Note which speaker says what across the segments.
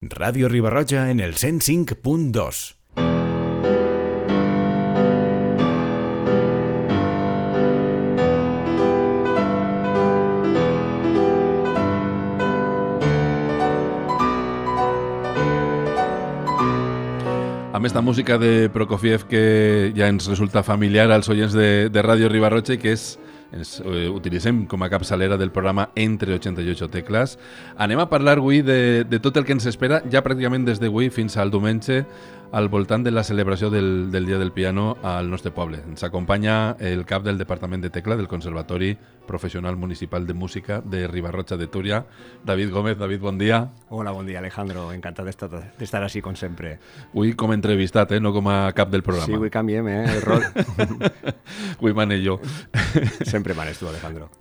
Speaker 1: Ràdio Riba-roja en el 105.2.
Speaker 2: Amb esta música de Prokofiev que ja ens resulta familiar als oients de Ràdio Riba-roja i que ens utilitzem com a capçalera del programa Entre 88 Tecles. Anem a parlar avui de tot el que ens espera ja pràcticament des d'avui fins al diumenge al voltant de la celebració del Dia del Piano al nostre poble. Ens acompanya el cap del Departament de Tecla del Conservatori Professional Municipal de Música de Riba-roja de Túria, David Gómez. David, bon dia.
Speaker 3: Hola, bon dia, Alejandro. Encantat d'estar així, com sempre.
Speaker 2: Avui com a entrevistat, no com a cap del programa.
Speaker 3: Sí, avui canviem, el rol.
Speaker 2: Avui mane jo.
Speaker 3: Sempre manes tu, Alejandro.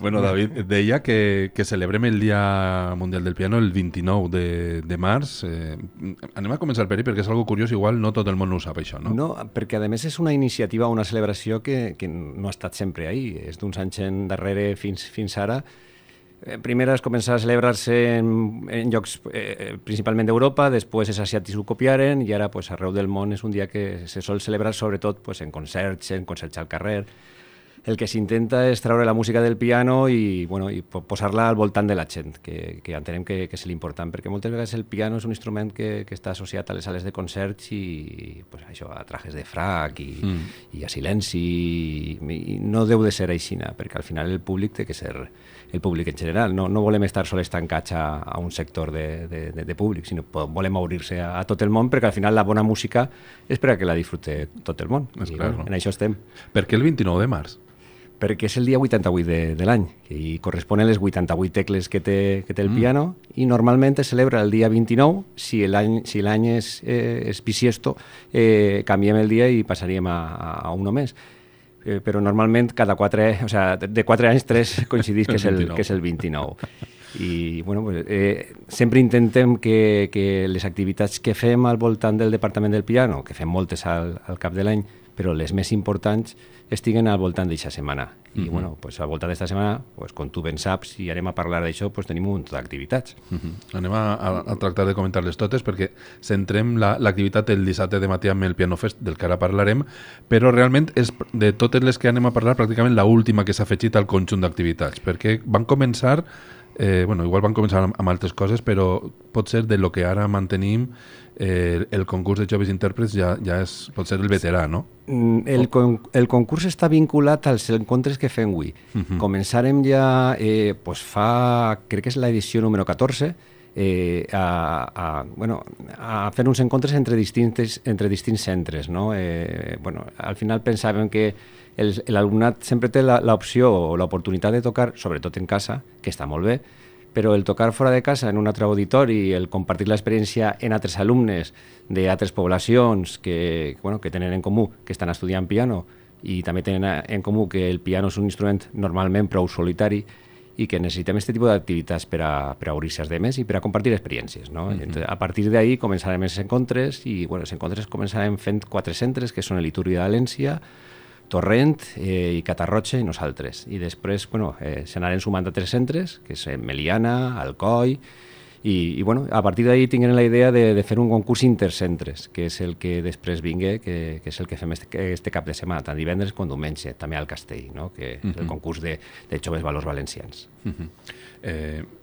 Speaker 2: Bueno, David, deia que celebrem el Dia Mundial del Piano el 29 de març. Anem a començar per ahí, perquè és algo curiós, igual no tot el món ho sap, això, no?
Speaker 3: No, perquè a més és una iniciativa, una celebració que no ha estat sempre ahí. És d'uns anys endarrere fins ara. Primer es començar a celebrar-se en llocs principalment d'Europa, després els asiàtics ho copiaren i ara pues, arreu del món és un dia que se sol celebrar sobretot pues, en concerts al carrer. El que s'intenta és treure la música del piano i posar-la al voltant de la gent, que entenem que és l'important, perquè moltes vegades el piano és un instrument que està associat a les sales de concerts i pues, això, a trajes de frac i a silenci, i no deu de ser així, perquè al final el públic té que ser el públic en general. No volem estar sols tancats a un sector de públic, sinó volem obrir-se a tot el món, perquè al final la bona música és per a que la disfrute tot el món. I en això estem.
Speaker 2: Per què el 29 de març?
Speaker 3: Perquè és el dia 88 de l'any i corresponen les 88 tecles que té el piano i normalment es celebra el dia 29. Si l'any és bisiesto, canviem el dia i passaríem a un només. Però normalment de 4 anys 3 coincidís que és el 29. I sempre intentem que les activitats que fem al voltant del Departament del Piano, que fem moltes al cap de l'any, però les més importants estiguen al voltant d'aquesta setmana. I al voltant d'aquesta setmana, com tu ben saps, i anem a parlar d'això, tenim un munt d'activitats.
Speaker 2: Anem a tractar de comentar-les totes perquè centrem l'activitat el dissabte de matí amb el Piano Fest, del que ara parlarem, però realment és de totes les que anem a parlar pràcticament l'última que s'ha afegit al conjunt d'activitats, perquè van començar, igual van començar amb altres coses, però pot ser de lo que ara mantenim el concurs de joves intèrprets ja pot ser el veterà, no?
Speaker 3: El concurs està vinculat als encontres que fem avui. Començarem ja, crec que és l'edició número 14, a fer uns encontres entre distints centres, no? Al final pensàvem que l'alumnat sempre té l'opció o l'oportunitat de tocar, sobretot en casa, que està molt bé, però el tocar fora de casa en un altre auditori, el compartir l'experiència en altres alumnes d'altres poblacions que tenen en comú que estan estudiant piano i també tenen en comú que el piano és un instrument normalment prou solitari i que necessitem aquest tipus d'activitats per a obrir-se als demés i per a compartir experiències, no? Entonces, a partir d'ahí començarem els encontres i els encontres començarem fent 4 centres que són el Itúria de València, Torrent i Catarroja i nosaltres. I després se n'anaren sumant a 3 centres, que és Meliana, Alcoi, i a partir d'ahí tinguem la idea de fer un concurs intercentres, que és el que després vingui, que és el que fem este cap de setmana, tant divendres com diumenge, també al Castell, no? Que és el concurs de joves valors valencians.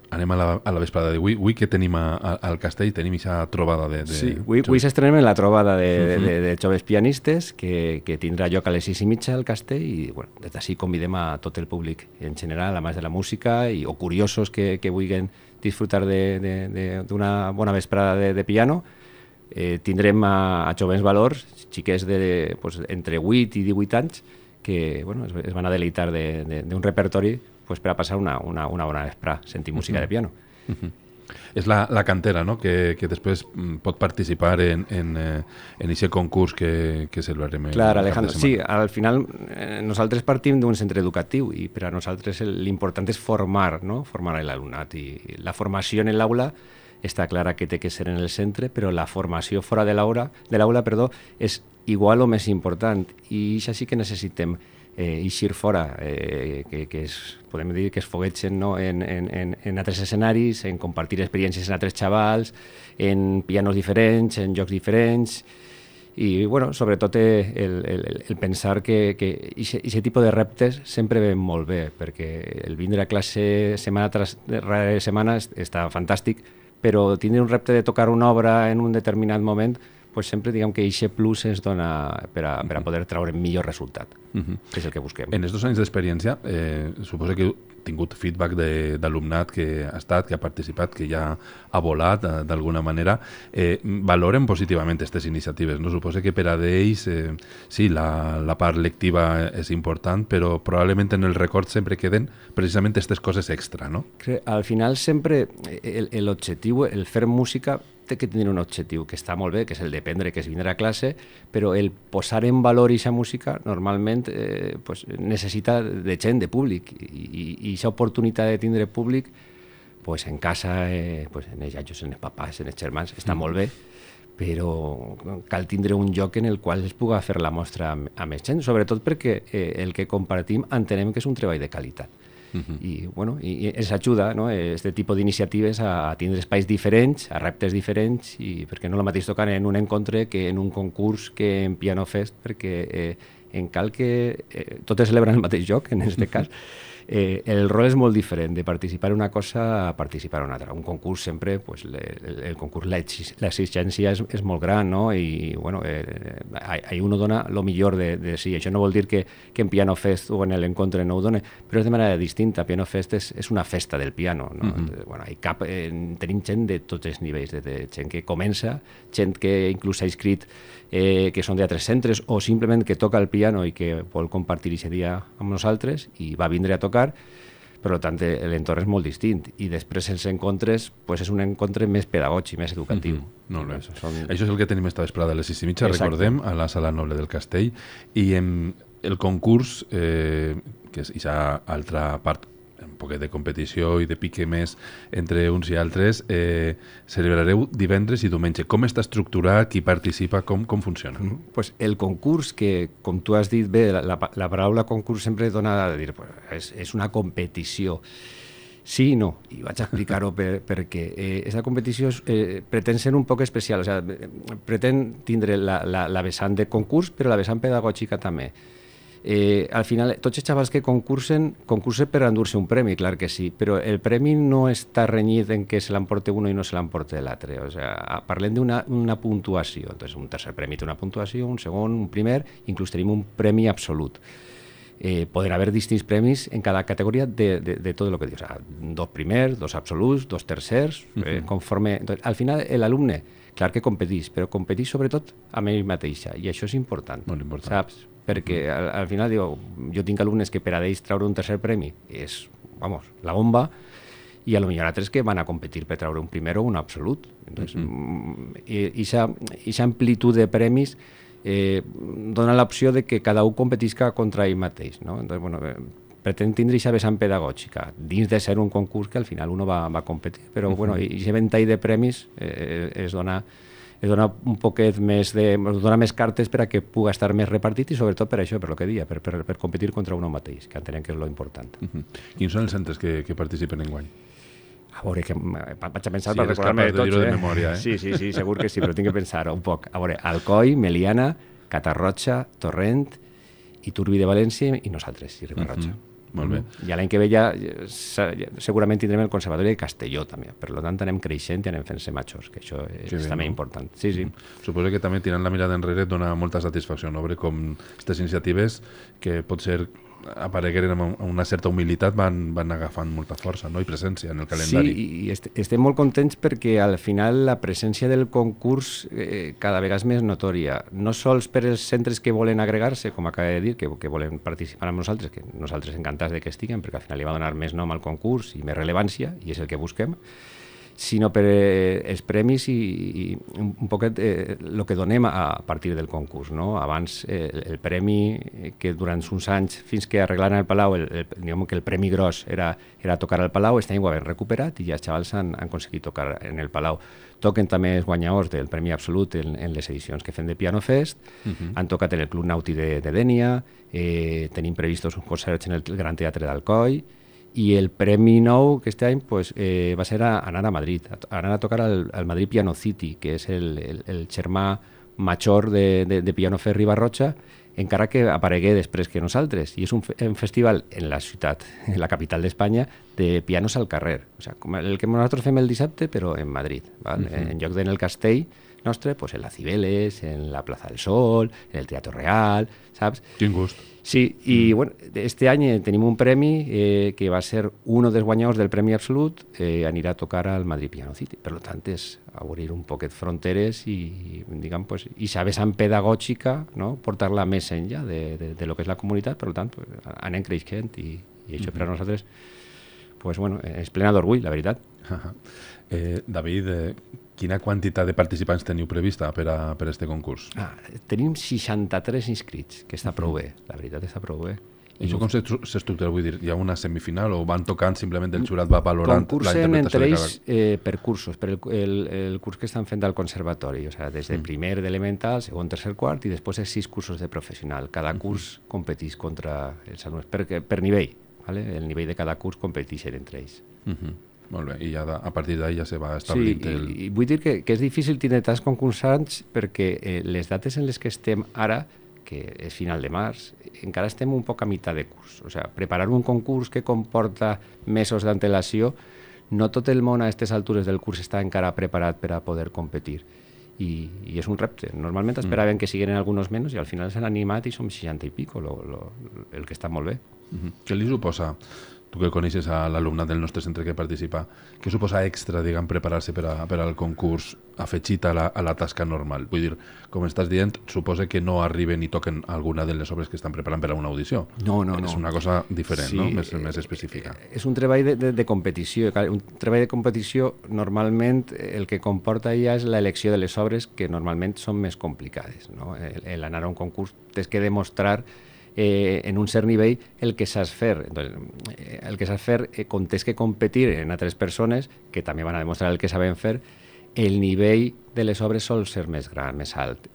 Speaker 2: Anem a la vesprada d'avui. Avui que tenim al Castell? Tenim aquesta trobada de...
Speaker 3: Sí, avui s'estrenem en la trobada de joves pianistes que tindrà lloc a les 6:30 al Castell i des d'ací convidem a tot el públic en general, a més de la música o curiosos que vulguin disfrutar d'una bona vesprada de piano. Tindrem a jovens valors, xiquets entre 8 i 18 anys que es van a deleitar d'un repertori per a passar una bona vesprada sentint música de piano.
Speaker 2: És la cantera, no?, que després pot participar en aquest concurs que celebrarem.
Speaker 3: Clar, Alejandro, sí, al final nosaltres partim d'un centre educatiu i per a nosaltres l'important és formar l'alumnat, i la formació en l'aula està clara que té que ser en el centre, però la formació fora de l'aula és igual o més important, i això sí que necessitem eixir fora, que podem dir que es foguetgen, no? en altres escenaris, en compartir experiències amb altres xavals, en pianos diferents, en jocs diferents, i bueno, sobretot el pensar que aquest tipus de reptes sempre ven molt bé, perquè el vindre a classe setmana tras setmana està fantàstic, però tindre un repte de tocar una obra en un determinat moment, pues sempre diguem que aquest plus es dona per a poder treure millor resultat, que és el que busquem.
Speaker 2: En els 2 anys d'experiència, suposo que heu tingut feedback d'alumnat que ha estat, que ha participat, que ja ha volat d'alguna manera. Valoren positivament aquestes iniciatives, no? Suposo que per a d'ells, sí, la part lectiva és important, però probablement en el record sempre queden precisament aquestes coses extra, no?
Speaker 3: Al final sempre l'objectiu, el fer música, té que tenir un objectiu que està molt bé, que és el d'aprendre, que és vindre a classe, però el posar en valor aquesta música normalment pues, necessita de gent, de públic, i aquesta oportunitat de tindre públic pues, en casa, pues, en els iaios, en els papàs, en els germans, està molt bé, però cal tindre un lloc en el qual es pugui fer la mostra amb més gent, sobretot perquè el que compartim entenem que és un treball de qualitat. I, bueno, i ens ajuda, no? Este tipus d'iniciatives a tindre espais diferents, a reptes diferents, i perquè no el mateix tocar en un encontre que en un concurs que en Piano Fest, perquè en cal que totes celebren el mateix joc, en aquest cas. El rol és molt diferent de participar en una cosa a participar en una altra. Un concurs sempre, pues, el concurs, l'exigència és molt gran, no? I bueno, ahí uno dona lo millor de sí. Això no vol dir que en Piano Fest o en l'encontre no ho done, però és de manera distinta. Piano Fest és una festa del piano, no? Bueno, tenim gent de tots els nivells, de gent que comença, gent que inclús s'ha inscrit que són d'altres centres o simplement que toca el piano i que vol compartir aquest dia amb nosaltres i va vindre a tocar, per tant l'entorn és molt distint, i després els encontres pues, és un encontre més pedagògic, més educatiu.
Speaker 2: Molt bé. Això és el que tenim esta vesprada a les 6:30, recordem, a la Sala Noble del Castell, i el concurs, que és aquesta altra part, un poquet de competició i de pique més entre uns i altres, celebrareu divendres i diumenge. Com està estructurat, qui participa, com funciona?
Speaker 3: Pues el concurs, que com tu has dit bé, la paraula concurs sempre dona a dir, pues, és una competició. Sí i no, i vaig a explicar-ho perquè aquesta competició pretén ser un poc especial, o sigui, pretén tindre la vessant de concurs, però la vessant pedagògica també. Al final, tots els xavals que concursen per endur-se un premi, clar que sí, però el premi no està renyit en que se l'emporte uno i no se l'emporte l'altre. O sigui, parlem d'una puntuació. Entonces, un tercer premi té una puntuació, un segon, un primer, inclús tenim un premi absolut. Poden haver distints premis en cada categoria de tot el que dius. O sigui, 2 primers, 2 absoluts, 2 tercers, conforme... Entonces, al final, l'alumne, clar que competeix, però competeix sobretot amb ell mateixa, i això és important.
Speaker 2: Molt important.
Speaker 3: Saps? Perquè al final diu, jo tinc alumnes que per a ells treure un tercer premi és, vamos, la bomba, i a lo millor altres que van a competir per treure un primer o un absolut. Entonces, aquesta amplitud de premis dona l'opció de que cada un competisca contra ell mateix, no? Entonces, bueno, pretén tindre aquesta vessant pedagògica, dins de ser un concurs que al final uno va a competir, però bueno, aquest ventall de premis es dona un poquet més dona més cartes per a que pugui estar més repartit, i sobretot per això, per lo que deia, per competir contra un mateix, que entenem que és lo important.
Speaker 2: Quins són els centres que participen enguany?
Speaker 3: A veure, que vaig a pensar per recordar-me de tots.
Speaker 2: De memòria,
Speaker 3: Sí, segur que sí, però tinc que pensar un poc. A veure, Alcoi, Meliana, Catarroja, Torrent, Iturbi de València i nosaltres, i Riba-roja.
Speaker 2: Molt bé.
Speaker 3: I l'any que ve ja segurament tindrem el Conservatori de Castelló també, per tant anem creixent i anem fent-se majors, que això és també important. Sí.
Speaker 2: Suposo que també tirant la mirada enrere et dona molta satisfacció, no? Veure com aquestes iniciatives que potser aparegueren amb una certa humilitat van agafant molta força, no? I presència en el calendari.
Speaker 3: Sí, i estem molt contents perquè al final la presència del concurs cada vegada és més notòria, no sols per als centres que volen agregar-se, com acaba de dir, que volen participar amb nosaltres, que nosaltres encantats de que estiguen, perquè al final li va donar més nom al concurs i més rellevància, i és el que busquem, sinó per els premis i un poquet el que donem a partir del concurs. No? Abans el premi que durant uns anys, fins que arreglaren el Palau, diguem que el premi gros era tocar al Palau, este any ho havem recuperat i ja els xavals han aconseguit tocar en el Palau. Toquen també els guanyadors del Premi Absolut en les edicions que fem de Piano Fest, han tocat en el Club Nauti de Dénia, tenim previstos uns concerts en el Gran Teatre d'Alcoi, i el premi nou aquest any va ser anar a Madrid, anar a tocar al Madrid Piano City, que és el germà major de Piano Fest Riba-roja, encara que aparegué després que nosaltres. I és un festival en la ciutat, en la capital d'Espanya, de pianos al carrer. O sigui, com el que nosaltres fem el dissabte, però en Madrid. Val? En lloc en el castell nostre, en la Cibeles, en la Plaza del Sol, en el Teatro Real, saps?
Speaker 2: Quin gust.
Speaker 3: Sí, i bueno, este any tenim un premi que va ser un dels guanyadors del Premi Absolut, anirà a tocar al Madrid Piano City. Per tant, és obrir un poquet fronteres i, diguem, i sa vessant pedagògica, no? Portar-la més enllà de lo que és la comunitat. Per tant, anem creixent i això per a nosaltres és plena d'orgull, la veritat.
Speaker 2: David, quina quantitat de participants teniu prevista per a este concurs?
Speaker 3: Tenim 63 inscrits, que està prou bé, la veritat està prou bé.
Speaker 2: I això com s'estructura? Vull dir, hi ha una semifinal o van tocant, simplement el jurat va valorant la
Speaker 3: concursen
Speaker 2: interpretació
Speaker 3: entre
Speaker 2: de cada...
Speaker 3: ells per cursos, per el curs que estan fent al conservatori, o sigui, des de primer d'elemental, segon, tercer, quart, i després els 6 cursos de professional. Cada curs competeix contra els alumnes, per nivell, ¿vale? El nivell de cada curs competeixen entre ells.
Speaker 2: Molt bé, i ja a partir d'ahí ja se va establint
Speaker 3: i vull dir que és difícil tenir tants concursants perquè les dates en les que estem ara, que és final de març, encara estem un poc a meitat de curs. O sigui, preparar un concurs que comporta mesos d'antelació, no tot el món a aquestes altures del curs està encara preparat per a poder competir. I és un repte. Normalment esperaven que siguin alguns menys i al final s'han animat i som 60 i pico, el que està molt bé.
Speaker 2: Què li suposa, tu que coneixes a l'alumnat del nostre centre que participa, què suposa extra, diguem, preparar-se per al concurs afegit a la tasca normal? Vull dir, com estàs dient, suposa que no arriben i toquen alguna de les obres que estan preparant per a una audició.
Speaker 3: No.
Speaker 2: És una cosa diferent,
Speaker 3: sí,
Speaker 2: no? Més específica.
Speaker 3: És un treball de competició. Un treball de competició, normalment, el que comporta ja és l'elecció de les obres, que normalment són més complicades. No? L'anar a un concurs tens que demostrar en un cert nivell el que saps fer. El que saps fer, quan tens que competir en altres persones que també van a demostrar el que saben fer, el nivell de les obres sol ser més gran, més alt.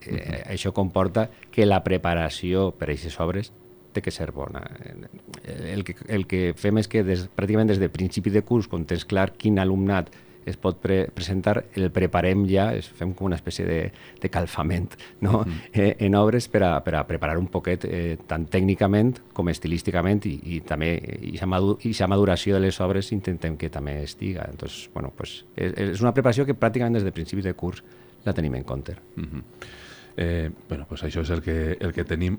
Speaker 3: Això comporta que la preparació per a aquestes obres té que ser bona. El que fem és que pràcticament des de principi de curs, quan tens clar quin alumnat es pot presentar, el preparem ja, fem com una espècie de calfament, no? En obres per a preparar un poquet tant tècnicament com estilísticament i també aquesta maduració de les obres intentem que també estiga. Entonces, és una preparació que pràcticament des de principis de curs la tenim en compte.
Speaker 2: Això és el que tenim,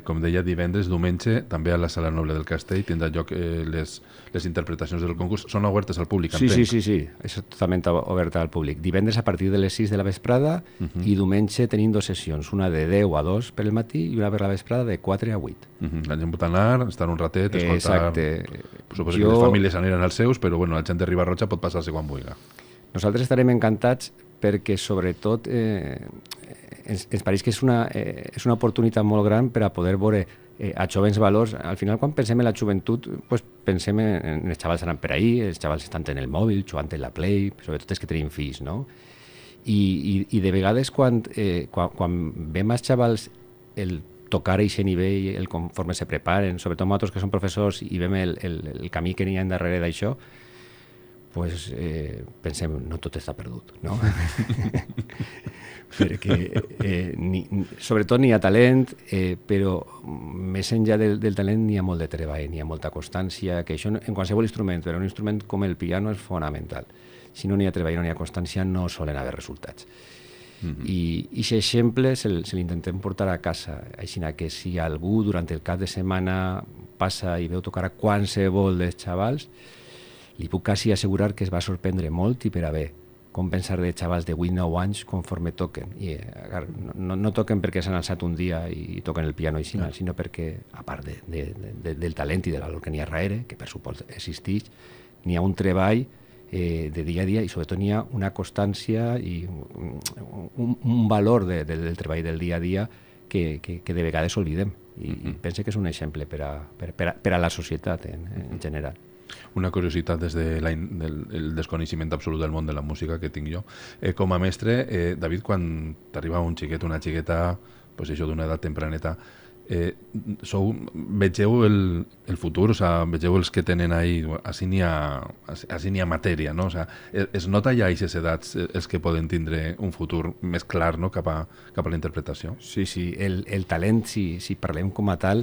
Speaker 2: com deia, divendres, diumenge, també a la Sala Noble del Castell tindrà lloc les interpretacions del concurs. Són obertes al públic, entenc?
Speaker 3: Sí, és totalment oberta al públic. Divendres a partir de les 6 de la vesprada i diumenge tenim 2 sessions, una de 10 a 2 per el matí i una per la vesprada de 4 a 8.
Speaker 2: La gent pot anar, estar un ratet, escoltar...
Speaker 3: Exacte.
Speaker 2: Suposo que les famílies aniran als seus, però la gent de Riba-roja pot passar-se quan vulgui.
Speaker 3: Nosaltres estarem encantats perquè, sobretot, ens pareix que és una oportunitat molt gran per a poder veure a jovens valors. Al final, quan pensem en la joventut, pensem en els xavals anant per ahí, els xavals estan en el mòbil, jugant en la Play, sobretot els que tenim fills, no? I de vegades, quan veiem als xavals el tocar a aquest nivell, conforme se preparen, sobretot nosaltres que som professors i veiem el camí que n'hi ha darrere d'això, pensem, no tot està perdut, no? Perquè sobretot n'hi ha talent, però més enllà del talent n'hi ha molt de treball, n'hi ha molta constància, que això en qualsevol instrument, però un instrument com el piano és fonamental. Si no n'hi ha treball, no n'hi ha constància, no solen haver resultats. I aquest exemple se l'intentem portar a casa, així que si algú durant el cap de setmana passa i veu tocar a qualsevol dels xavals, li puc quasi assegurar que es va sorprendre molt i per a bé, com pensar de xavals de 8-9 anys conforme toquen. I no toquen perquè s'han alçat un dia i toquen el piano així, sinó perquè, a part del talent i de l'alor que n'hi ha darrere, que per supost existeix, n'hi ha un treball de dia a dia, i sobretot n'hi ha una constància i un valor del treball del dia a dia que de vegades oblidem, i pense que és un exemple per a la societat en general.
Speaker 2: Una curiositat des del desconeixement absolut del món de la música que tinc jo. Com a mestre, David, quan t'arriba un xiquet, una xiqueta, pues això, d'una edat tempraneta, vegeu el futur, o sea, vegeu els que tenen ahí, així n'hi ha matèria, no? O sea, es nota ja a aquestes edats els que poden tindre un futur més clar, no?, cap a la interpretació.
Speaker 3: Sí, el talent, si parlem com a tal,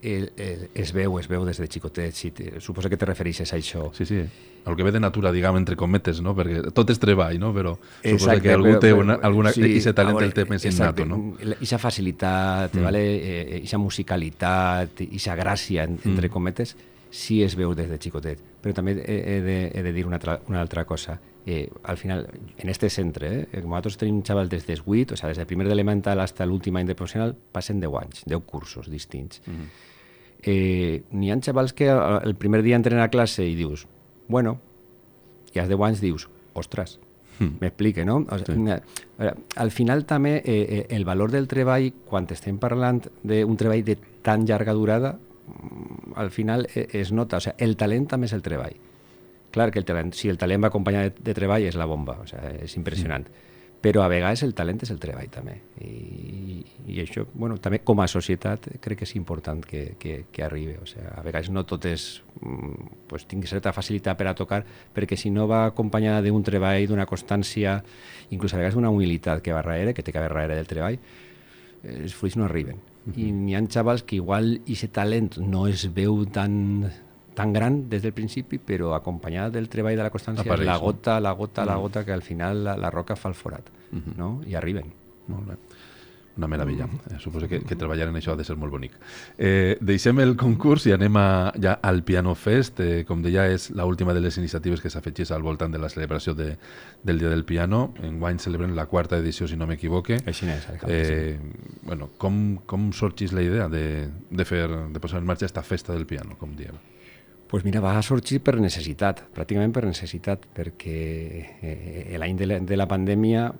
Speaker 3: es veu des de xicotet. Suposo que te refereixes a això.
Speaker 2: Sí, el que ve de natura, diguem, entre cometes, no? Perquè tot és treball, no? Però suposo que algú té aquest talent el té més innato, no?
Speaker 3: Ixa facilitat, ixa musicalitat, ixa gràcia, entre cometes, sí es veu des de xicotet. Però també he de dir una altra cosa. Al final, en este centre, nosaltres tenim xavals des dels 8, o sigui, des del primer d'elemental fins a l'últim any de professional, passen 10 anys, 10 cursos distints. N'hi ha xavals que el primer dia entren a classe i dius, bueno, i als 10 anys dius, ostres, m'explique, no? O sigui, al final també el valor del treball, quan estem parlant d'un treball de tan llarga durada, al final es nota, o sigui, el talent també és el treball. Clar que si el talent va acompanyat de treball és la bomba, o sigui, és impressionant. Però a vegades el talent és el treball també. I això, bueno, també com a societat crec que és important que arribi. O sigui, a vegades no tot és... Pues, tingui certa facilitat per a tocar, perquè si no va acompanyada d'un treball, d'una constància, inclús a vegades d'una humilitat que va darrere, que té que haver darrere del treball, els fruits no arriben. I n'hi ha xavals que igual aquest talent no es veu tan gran des del principi, però acompanyada del treball de la constància, apareix, la gota que al final la roca fa el forat, no? I arriben.
Speaker 2: Molt bé. Una meravella. Suposo que treballar en això ha de ser molt bonic. Deixem el concurs i anem ja al Piano Fest. Com deia, és l'última de les iniciatives que s'afegeix al voltant de la celebració del Dia del Piano. Enguany celebrem la 4ª edició, si no m'equivoque.
Speaker 3: Així és.
Speaker 2: Bueno, com sorgeix la idea de posar en marxa aquesta festa del piano, com diem?
Speaker 3: Pues mira, va sorgir per necessitat, pràcticament per necessitat, perquè l'any de la pandèmia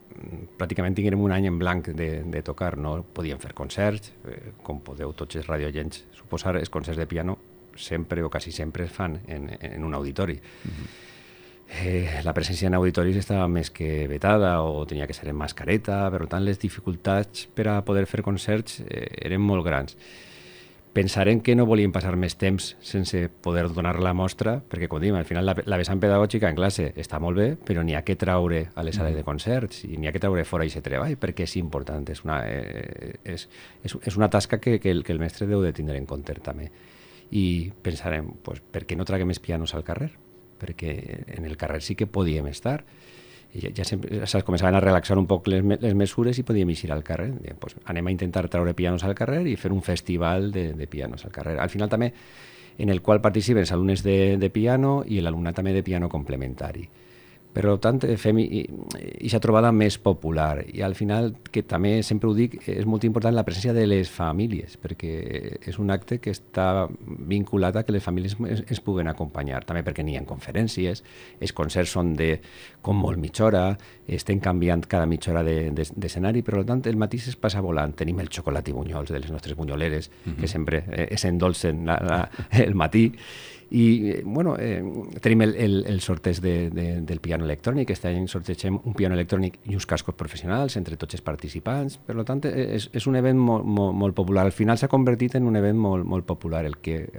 Speaker 3: pràcticament tinguérem un any en blanc de tocar, no podíem fer concerts, com podeu tots els radioients suposar, els concerts de piano sempre o quasi sempre es fan en un auditori. La presència en auditoris estava més que vetada o tenia que ser en mascareta, per tant les dificultats per a poder fer concerts eren molt grans. Pensarem que no volíem passar més temps sense poder donar la mostra, perquè, com diem, al final la vessant pedagògica en classe està molt bé, però n'hi ha que traure a les sales de concerts i n'hi ha que traure fora aquest treball, perquè és important, és una tasca que el mestre deu de tindre en compte també. I pensarem, pues, per què no traguem més pianos al carrer? Perquè en el carrer sí que podíem estar. Ja començaven a relaxar un poc les mesures i podíem eixir al carrer. Pues anem a intentar traure pianos al carrer i fer un festival de pianos al carrer. Al final també en el qual participen els alumnes de piano i l'alumnat també de piano complementari. Per tant, fem aquesta trobada més popular i al final, que també sempre ho dic, és molt important la presència de les famílies, perquè és un acte que està vinculat a que les famílies es puguen acompanyar, també perquè n'hi ha conferències, els concerts són de com molt mitja hora, estem canviant cada mitja hora d'escenari, per tant el matí es passa volant, tenim el xocolat i bunyols de les nostres bunyoleres, que sempre s'endolcen el matí, i bueno, tenim el sorteig del piano electrònic. Aquest any sortegem un piano electrònic i uns cascos professionals entre tots els participants. Per tant, és un event molt popular. Al final s'ha convertit en un event molt popular, el que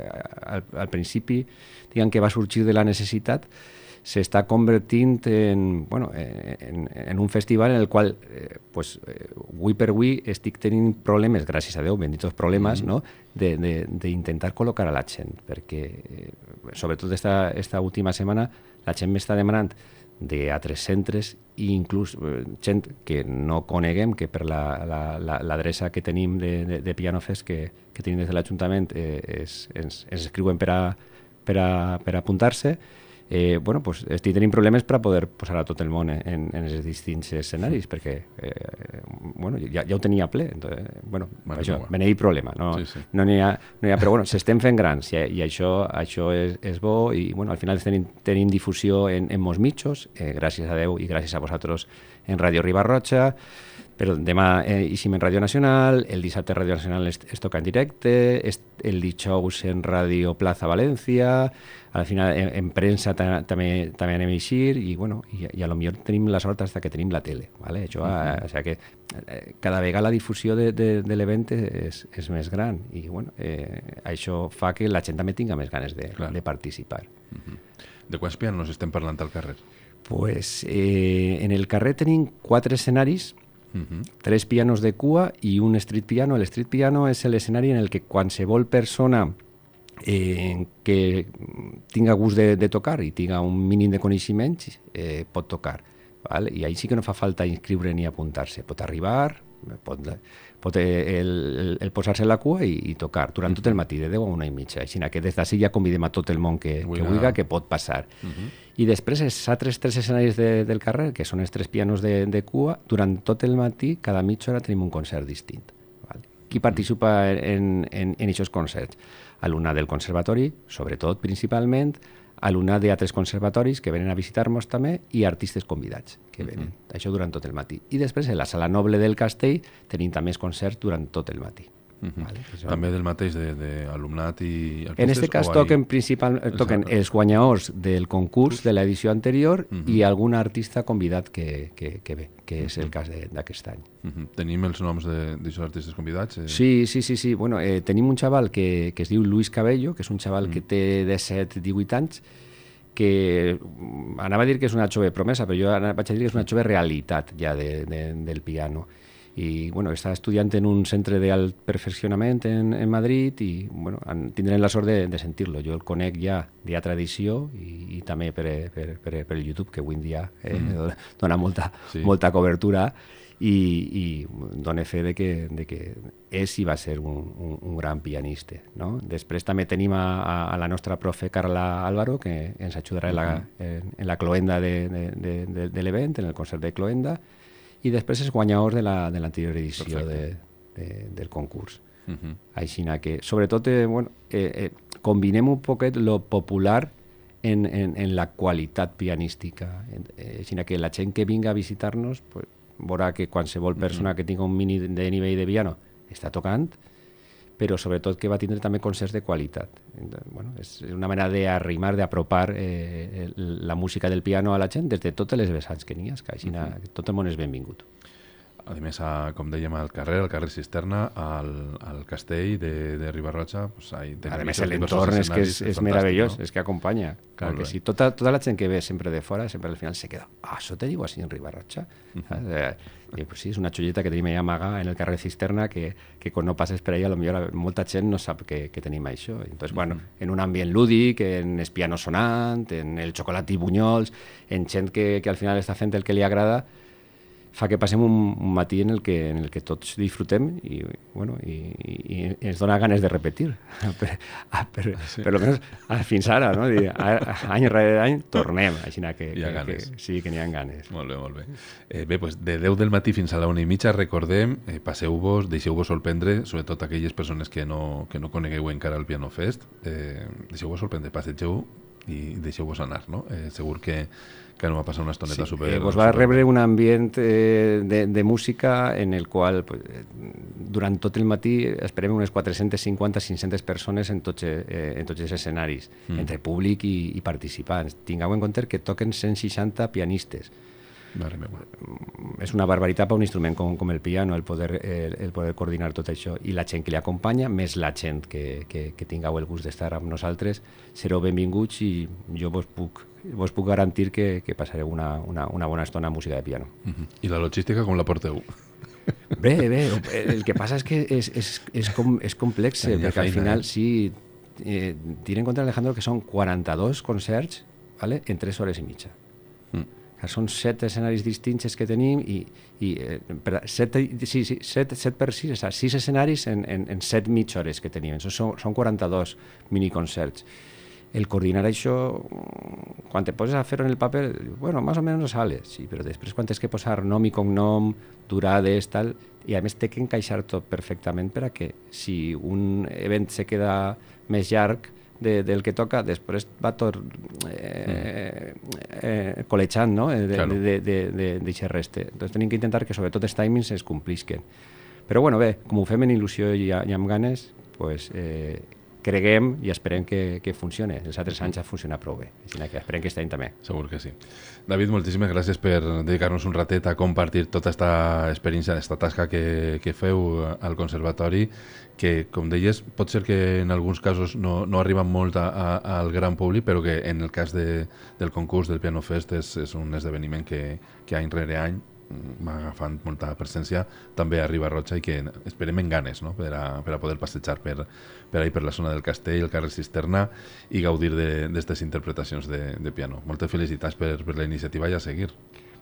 Speaker 3: al principi diguem que va sorgir de la necessitat s'està convertint en un festival en el qual avui per avui estic tenint problemes, gràcies a Déu, benditos problemes, no? D'intentar col·locar a la gent, perquè sobretot esta última setmana la gent m'està demanant d'altres centres i inclús gent que no coneguem, que per l'adreça que tenim de Piano Fest que tenim des de l'Ajuntament ens escriuen per a apuntar-se. bueno, pues estic tenint problemes per a poder posar a tot el món en els distints escenaris, perquè bueno, ja ho tenia ple. Entonces, bueno, això, me n'hi ha problema. No n'hi ha, però bueno, s'estem fent grans i això és bo i bueno, al final tenim difusió en molts mitjos, gràcies a Déu i gràcies a vosaltres en Ràdio Riba-roja, però demà eixim en Ràdio Nacional, el dissabte Ràdio Nacional es toca en directe, el dijous en Ràdio Plaza València, al final en premsa també anem a eixir i, bueno, i a lo millor tenim la sort fins que tenim la tele. ¿Vale? Això, o sea que cada vegada la difusió de l'event és més gran i bueno, això fa que la gent també tinga més ganes de participar.
Speaker 2: De quants pianos estem parlant al carrer?
Speaker 3: Pues, en el carrer tenim 4 escenaris, 3 pianos de cua i un street piano. El street piano és l'escenari en el que qualsevol persona que tinga gust de tocar i tinga un mínim de coneixements pot tocar. ¿Vale? I ahí sí que no fa falta inscriure ni apuntar-se. Pot arribar, pot el posar-se en la cua i tocar durant tot el matí, de 10 a 1:30. Així que des d'ací ja convidem a tot el món que vulgui, que pot passar. I després els altres 3 escenaris del carrer, que són els 3 pianos de cua, durant tot el matí, cada mitja hora tenim un concert distint. Vale? Qui participa en aquests concerts? Alumnat del conservatori, sobretot, principalment, alumnat d'altres conservatoris que venen a visitar-nos també i artistes convidats que venen. Això durant tot el matí. I després, a la Sala Noble del Castell, tenim també els concerts durant tot el matí. Vale?
Speaker 2: També del mateix d'alumnat i artistes?
Speaker 3: En aquest cas toquen els guanyadors del concurs de l'edició anterior i algun artista convidat que ve, que és el cas d'aquest any.
Speaker 2: Tenim els noms d'aquests artistes convidats?
Speaker 3: Sí. Bueno, tenim un xaval que es diu Luis Cabello, que és un xaval que té 17-18 anys, que anava a dir que és una jove promesa, però jo vaig a dir que és una jove realitat ja del piano. I bueno, està estudiant en un centre d'alt perfeccionament en Madrid i bueno, tindrem la sort de sentir-lo. Jo el conec ja d'altra edició i també per YouTube, que avui en dia dona molta cobertura i dona fe de que és i va ser un gran pianista. No? Després també tenim a la nostra profe Carla Álvaro, que ens ajudarà en la cloenda de l'event, en el concert de cloenda, i després els guanyadors de l'anterior edició del concurs. Així que, sobretot, combinem un poquet lo popular en la qualitat pianística. Així que la gent que vinga a visitar-nos veurà que qualsevol persona que tinga un mínim de nivell de piano està tocant, però sobretot que va tindre també concerts de qualitat. Bueno, és una manera d'arrimar, d'apropar la música del piano a la gent des de totes les vessants que n'hi ha, que així tot el món és benvingut.
Speaker 2: A més, com dèiem, al carrer Cisterna, al castell de Riba-roja...
Speaker 3: A més, l'entorn és meravellós, és que acompanya. Clar que sí. Tota la gent que ve sempre de fora, sempre al final se queda, això te diu així en Riba-roja? Sí, és una xolleta que tenim allà amaga en el carrer Cisterna que quan no passes per allà, potser molta gent no sap que tenim això. Entonces, bueno, en un ambient lúdic, en el piano sonant, en el xocolat i bunyols, en gent que al final està fent el que li agrada, fa que passem un matí en el que tots disfrutem i ens dona ganes de repetir. Per lo menos fins ara, no? Any rere any tornem. Així que sí, que n'hi ha ganes.
Speaker 2: Molt bé. Bé, doncs de 10 del matí fins a la 1:30 recordem, passeu-vos, deixeu-vos sorprendre, sobretot aquelles persones que no conegueu encara el Piano Fest, deixeu-vos sorprendre, passegeu i deixeu-vos anar, no? Segur que no va passar una estoneta super...
Speaker 3: Vos va rebre un ambient de música en el qual durant tot el matí esperem unes 450-500 persones en tots els escenaris, entre públic i participants. Tingueu en compte que toquen 160 pianistes. És una barbaritat per un instrument com el piano el poder coordinar tot això, i la gent que li acompanya, més la gent que tingueu el gust d'estar amb nosaltres, sereu benvinguts i jo vos puc garantir que passareu una bona estona amb música de piano.
Speaker 2: I la logística com la porteu?
Speaker 3: Bé, el que passa és que és complex, perquè al final sí, tira en compte, Alejandro, que són 42 concerts, ¿vale?, en 3 hores i mitja. Són 7 escenaris distints que tenim i 7 per 6, 6 escenaris en 7 mitja hores que tenim. Són 42 miniconcerts. el coordinar això, quan te poses a fer-ho en el paper, bueno, més o menys sale, sí, però després quan tens que posar nom i cognom, durades, tal, i a més té que encaixar tot perfectament per a que si un event se queda més llarg del que toca, després va tot col·lejant, no? D'eixe reste. Doncs tenim que intentar que sobretot els timings es complisquen. Però bueno, bé, com ho fem en il·lusió i amb ganes, pues, creguem i esperem que funcione. Els altres anys ha funcionat prou bé, així que esperem que aquest any també.
Speaker 2: Segur que sí. David, moltíssimes gràcies per dedicar-nos un ratet a compartir tota aquesta experiència, aquesta tasca que feu al Conservatori, que, com deies, pot ser que en alguns casos no arriben molt al gran públic, però que en el cas del concurs del Piano Fest és un esdeveniment que any rere any va agafant molta presència també a Riba-roja i que esperem en ganes, no? per a poder passejar per ahí, per la zona del Castell, el carrer Cisterna, i gaudir d'aquestes interpretacions de piano. Moltes felicitats per la iniciativa i a seguir.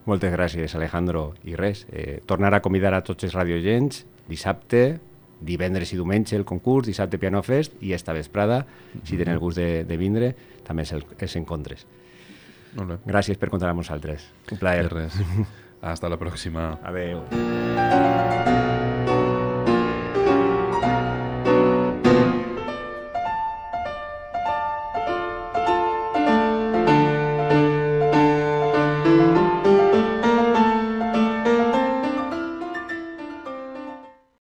Speaker 3: Moltes gràcies, Alejandro. I res, tornar a convidar a tots els radioagents dissabte, divendres i diumenge el concurs, dissabte Piano Fest, i esta vesprada, si tenen el gust de vindre, també els encontres.
Speaker 2: Molt bé.
Speaker 3: Gràcies per comptar amb nosaltres. Un plaer.
Speaker 2: Res. Hasta la próxima.
Speaker 3: Adeu.